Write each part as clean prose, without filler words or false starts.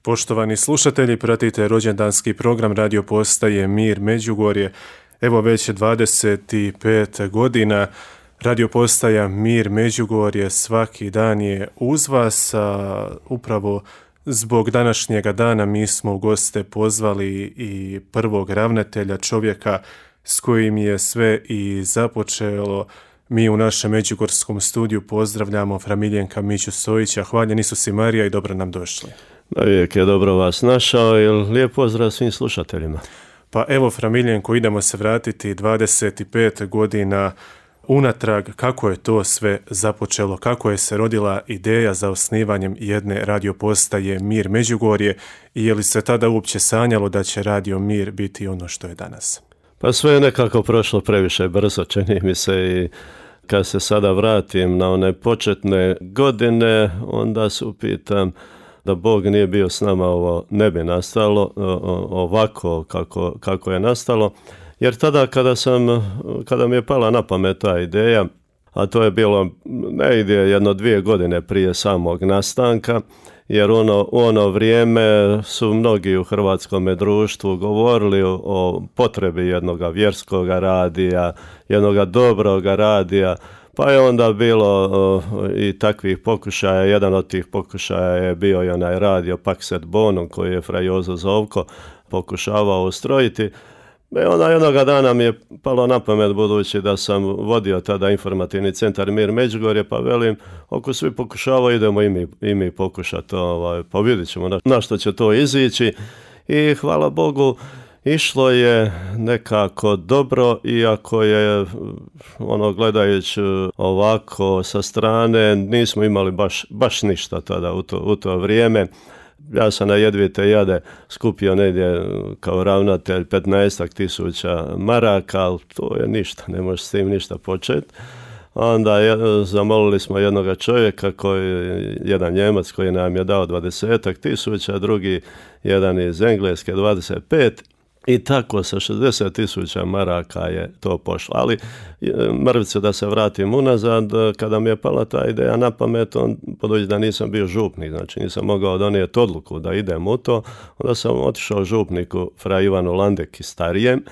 Poštovani slušatelji, pratite rođendanski program radio postaje Mir Međugorje. Evo već 25 godina radio postaja Mir Međugorje svaki dan je uz vas, a upravo zbog današnjega dana mi smo u goste pozvali i prvog ravnatelja, čovjeka s kojim je sve i započelo. Mi u našem međugorskom studiju pozdravljamo fra Miljenka Miću Sojića. Hvaljen Isus i Marija i dobro nam došli. Uvijek je dobro vas našao i lijep pozdrav svim slušateljima. Pa evo, fra Miljenko, idemo se vratiti 25 godina unatrag. Kako je to sve započelo? Kako je se rodila ideja za osnivanjem jedne radio postaje Mir Međugorje i je li se tada uopće sanjalo da će Radio Mir biti ono što je danas? Pa sve je nekako prošlo previše brzo, čini mi se, i kad se sada vratim na one početne godine, onda se upitam da Bog nije bio s nama, ovo ne bi nastalo ovako kako je nastalo. Jer tada kada mi je pala na pamet ta ideja, a to je bilo negdje 1-2 godine prije samog nastanka, jer u ono vrijeme su mnogi u hrvatskom društvu govorili o potrebi jednog vjerskog radija, jednog dobrog radija, pa je onda bilo i takvih pokušaja. Jedan od tih pokušaja je bio i onaj radio Pax et Bonum koji je fra Jozo Zovko pokušavao ustrojiti. I onda jednoga dana mi je palo na pamet, budući da sam vodio tada informativni centar Mir Međugorje, pa velim, ako svi pokušavaju, idemo i mi pokušati, pa vidjet ćemo na što će to izići. I hvala Bogu, išlo je nekako dobro, iako je, gledajući ovako sa strane, nismo imali baš ništa tada u to vrijeme. Ja sam na jedvite jade skupio negdje kao ravnatelj 15.000 maraka, ali to je ništa, ne možeš s tim ništa početi. Onda zamolili smo jednoga čovjeka, jedan Njemac koji nam je dao 20.000, drugi jedan iz Engleske 25. I tako sa 60.000 maraka je to pošlo. Ali mrvice da se vratim unazad, kada mi je pala ta ideja na pamet, budući da nisam bio župnik, znači nisam mogao donijeti odluku da idem u to, onda sam otišao župniku fra Ivanu Landeki starijem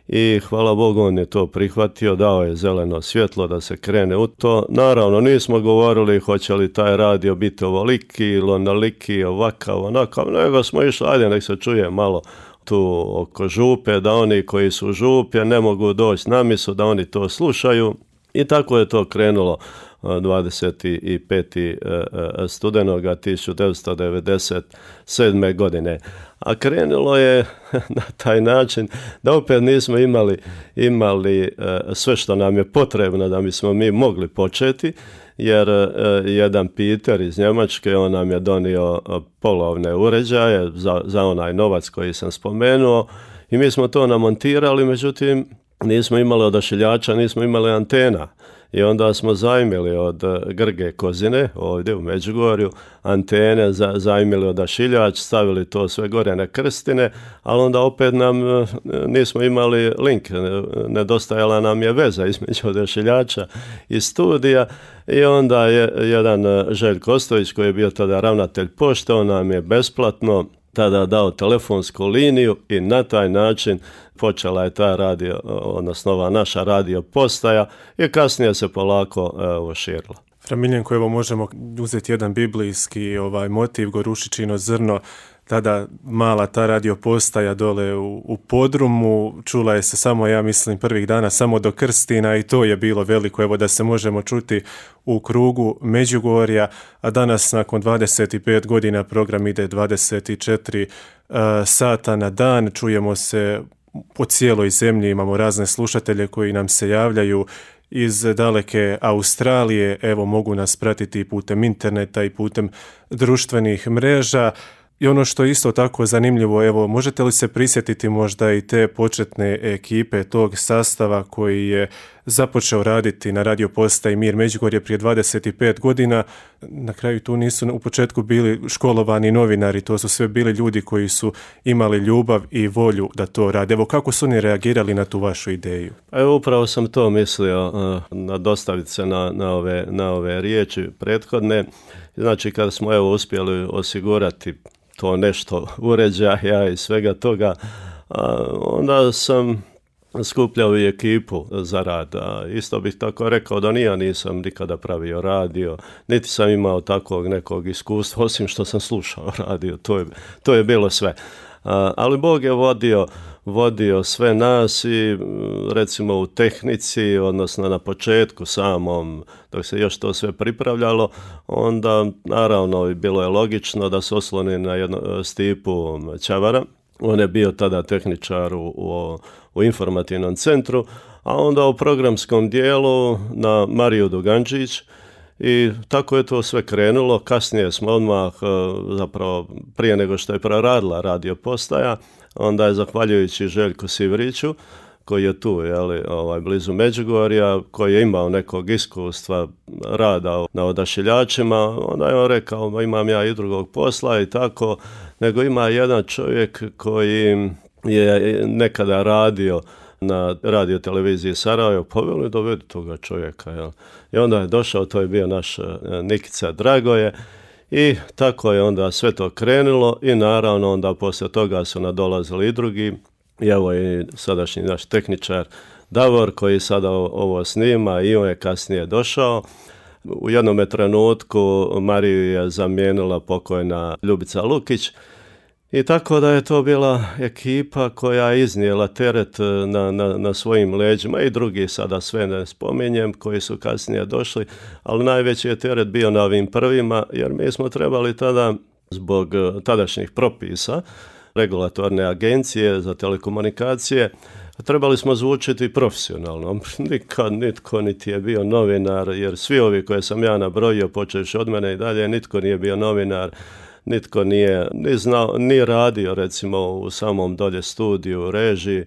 i hvala Bogu on je to prihvatio, dao je zeleno svjetlo da se krene u to. Naravno nismo govorili hoće li taj radio biti ovoliki ili onoliki, ovakav, onakav, nego smo išli, ajde nek se čuje malo tu oko župe, da oni koji su župe ne mogu doći na misu, da oni to slušaju. I tako je to krenulo 25. studenoga 1997. godine. A krenulo je na taj način da opet nismo imali sve što nam je potrebno da bismo mi mogli početi, jer jedan Peter iz Njemačke, on nam je donio polovne uređaje za onaj novac koji sam spomenuo i mi smo to namontirali, međutim nismo imali odašiljača, nismo imali antena. I onda smo zajmili od Grge Kozine, ovdje u Međugorju, antene, zajmili odašiljač, stavili to sve gore na krstine, ali onda opet nismo imali link, nedostajala nam je veza između odašiljača i studija. I onda je jedan Željko Ostojić, koji je bio tada ravnatelj pošte, on nam je besplatno tada dao telefonsku liniju i na taj način počela je ta ova naša radio postaja i kasnije se polako širila. Fra Miljenko, evo možemo uzeti jedan biblijski motiv, Gorušičino zrno, tada mala ta radio postaja dole u podrumu, čula je se samo, ja mislim, prvih dana samo do Krstina i to je bilo veliko, evo da se možemo čuti u krugu Međugorja, a danas nakon 25 godina program ide 24 sata na dan, čujemo se po cijeloj zemlji, imamo razne slušatelje koji nam se javljaju iz daleke Australije, evo mogu nas pratiti putem interneta i putem društvenih mreža. I ono što je isto tako zanimljivo, evo, možete li se prisjetiti možda i te početne ekipe, tog sastava koji je započeo raditi na radio postaji Mir Međugorje prije 25 godina. Na kraju tu nisu u početku bili školovani novinari, to su sve bili ljudi koji su imali ljubav i volju da to rade. Evo, kako su oni reagirali na tu vašu ideju? Evo, upravo sam to mislio dostaviti se na ove riječi prethodne. Znači, kada smo uspjeli osigurati to nešto uređaja i svega toga, onda sam skupljao i ekipu za rad. Isto bih tako rekao da ja nisam nikada pravio radio, niti sam imao takvog nekog iskustva, osim što sam slušao radio, to je bilo sve. Ali Bog je vodio sve nas i recimo u tehnici, odnosno na početku samom, dok se još to sve pripravljalo, onda naravno bilo je logično da se osloni na Stipu Čavara. On je bio tada tehničar u informativnom centru, a onda u programskom dijelu na Mariju Dugančić, i tako je to sve krenulo. Kasnije smo odmah, zapravo prije nego što je proradila radio postaja, onda je zahvaljujući Željku Sivriću, koji je tu blizu Međugorja, koji je imao nekog iskustva rada na odašiljačima, onda je on rekao, imam ja i drugog posla i tako, nego ima jedan čovjek koji je nekada radio na radio televiziji Sarajevo, poveli dovedi toga čovjeka. Jel? I onda je došao, to je bio naš Nikica Dragoje, i tako je onda sve to krenulo i naravno onda poslije toga su nadolazili i drugi. I evo i sadašnji naš tehničar Davor koji sada ovo snima, i on je kasnije došao. U jednom trenutku Mariju je zamijenila pokojna Ljubica Lukić, i tako da je to bila ekipa koja je iznijela teret na svojim leđima, i drugi sada sve ne spominjem koji su kasnije došli, ali najveći je teret bio na ovim prvima, jer mi smo trebali tada zbog tadašnjih propisa regulatorne agencije za telekomunikacije, trebali smo zvučiti profesionalno. Nikad nitko niti je bio novinar, jer svi ovi koje sam ja nabrojio, počevši od mene i dalje, nitko nije bio novinar, nitko nije ni znao, ni radio recimo u samom dolje studiju, režiji,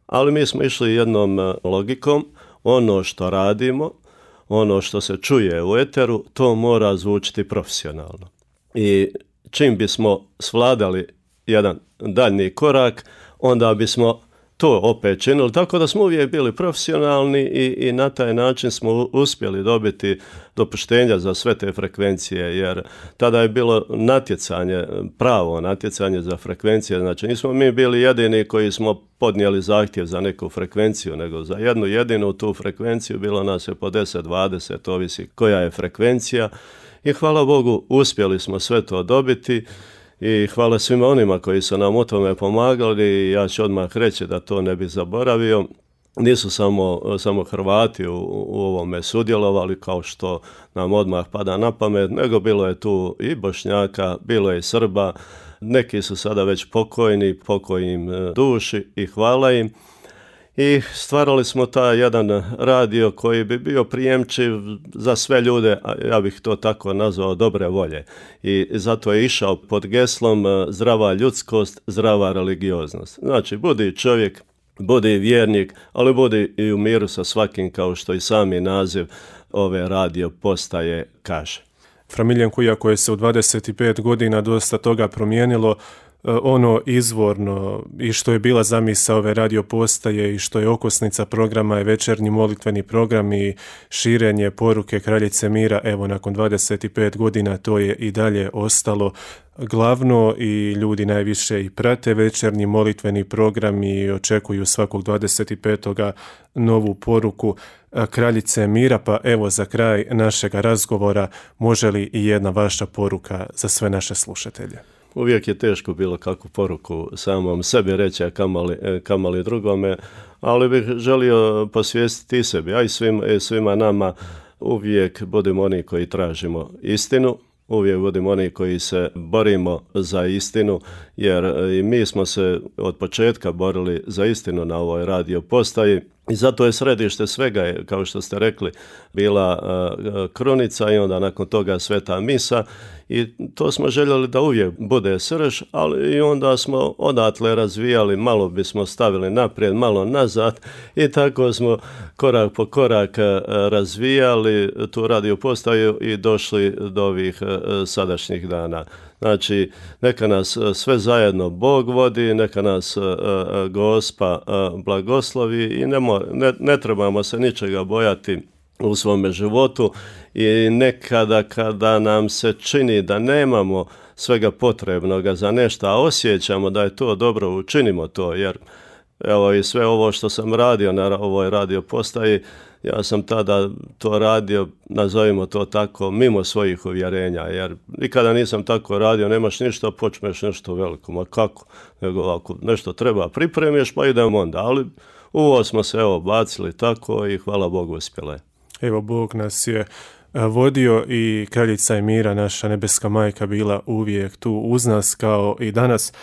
ali mi smo išli jednom logikom, ono što radimo, ono što se čuje u eteru, to mora zvučiti profesionalno. I čim bismo svladali jedan daljnji korak, onda bismo to opet činili, tako da smo uvijek bili profesionalni i na taj način smo uspjeli dobiti dopuštenja za sve te frekvencije, jer tada je bilo natjecanje, pravo natjecanje za frekvencije, znači nismo mi bili jedini koji smo podnijeli zahtjev za neku frekvenciju, nego za jednu jedinu tu frekvenciju bilo nas je po 10-20, ovisi koja je frekvencija, i hvala Bogu uspjeli smo sve to dobiti. I hvala svima onima koji su nam u tome pomagali, i ja ću odmah reći da to ne bi zaboravio. Nisu samo Hrvati u ovome sudjelovali kao što nam odmah pada na pamet, nego bilo je tu i Bošnjaka, bilo je i Srba, neki su sada već pokoj im duši i hvala im. I stvarali smo taj jedan radio koji bi bio prijemčiv za sve ljude, ja bih to tako nazvao, dobre volje. I zato je išao pod geslom zdrava ljudskost, zdrava religioznost. Znači, budi čovjek, budi vjernik, ali budi i u miru sa svakim, kao što i sami naziv ove radio postaje kaže. Fra Miljenku, iako je se u 25 godina dosta toga promijenilo, ono izvorno i što je bila zamisao ove radio postaje i što je okosnica programa je večernji molitveni program i širenje poruke Kraljice mira. Evo, nakon 25 godina to je i dalje ostalo glavno i ljudi najviše i prate večernji molitveni program i očekuju svakog 25. novu poruku Kraljice mira. Pa evo, za kraj našega razgovora, može li i jedna vaša poruka za sve naše slušatelje? Uvijek je teško bilo kakvu poruku samom sebi reći, a kamali drugome, ali bih želio posvijestiti i sebi, a i svima nama, uvijek budemo oni koji tražimo istinu, uvijek budemo oni koji se borimo za istinu, jer i mi smo se od početka borili za istinu na ovoj radio postaji, I zato je središte svega, kao što ste rekli, bila krunica i onda nakon toga sveta misa i to smo željeli da uvijek bude srž, ali i onda smo odatle razvijali, malo bismo stavili naprijed, malo nazad i tako smo korak po korak razvijali tu radio postaju i došli do ovih sadašnjih dana. Znači, neka nas sve zajedno Bog vodi, neka nas Gospa blagoslovi i ne trebamo se ničega bojati u svome životu i nekada kada nam se čini da nemamo svega potrebnoga za nešto, a osjećamo da je to dobro, učinimo to, jer evo i sve ovo što sam radio na ovoj radio postaji, ja sam tada to radio, nazovimo to tako, mimo svojih uvjerenja, jer nikada nisam tako radio, nemaš ništa, počneš nešto veliko, ma kako, nego ako nešto treba pripremiš, pa idemo onda, ali u ovo smo se bacili tako i hvala Bogu uspjela je. Evo, Bog nas je vodio i kraljica je mira, naša nebeska majka, bila uvijek tu uz nas kao i danas.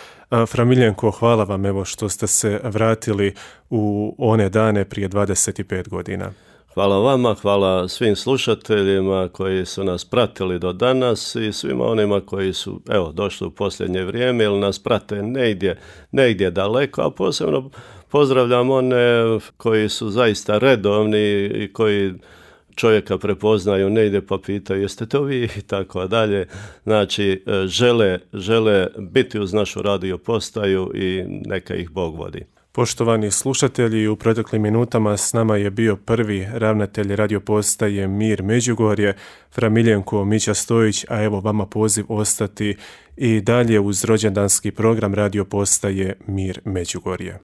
Fra Miljenko, hvala vam evo što ste se vratili u one dane prije 25 godina. Hvala vama, hvala svim slušateljima koji su nas pratili do danas i svima onima koji su došli u posljednje vrijeme ili nas prate negdje daleko, a posebno pozdravljam one koji su zaista redovni i koji čovjeka prepoznaju negdje pa pitaju jeste to vi i tako dalje. Znači, žele biti uz našu radio postaju i neka ih Bog vodi. Poštovani slušatelji, u proteklim minutama s nama je bio prvi ravnatelj radio postaje Mir Međugorje, fra Miljenko Mića Stojić, a evo vama poziv ostati i dalje uz rođendanski program radio postaje Mir Međugorje.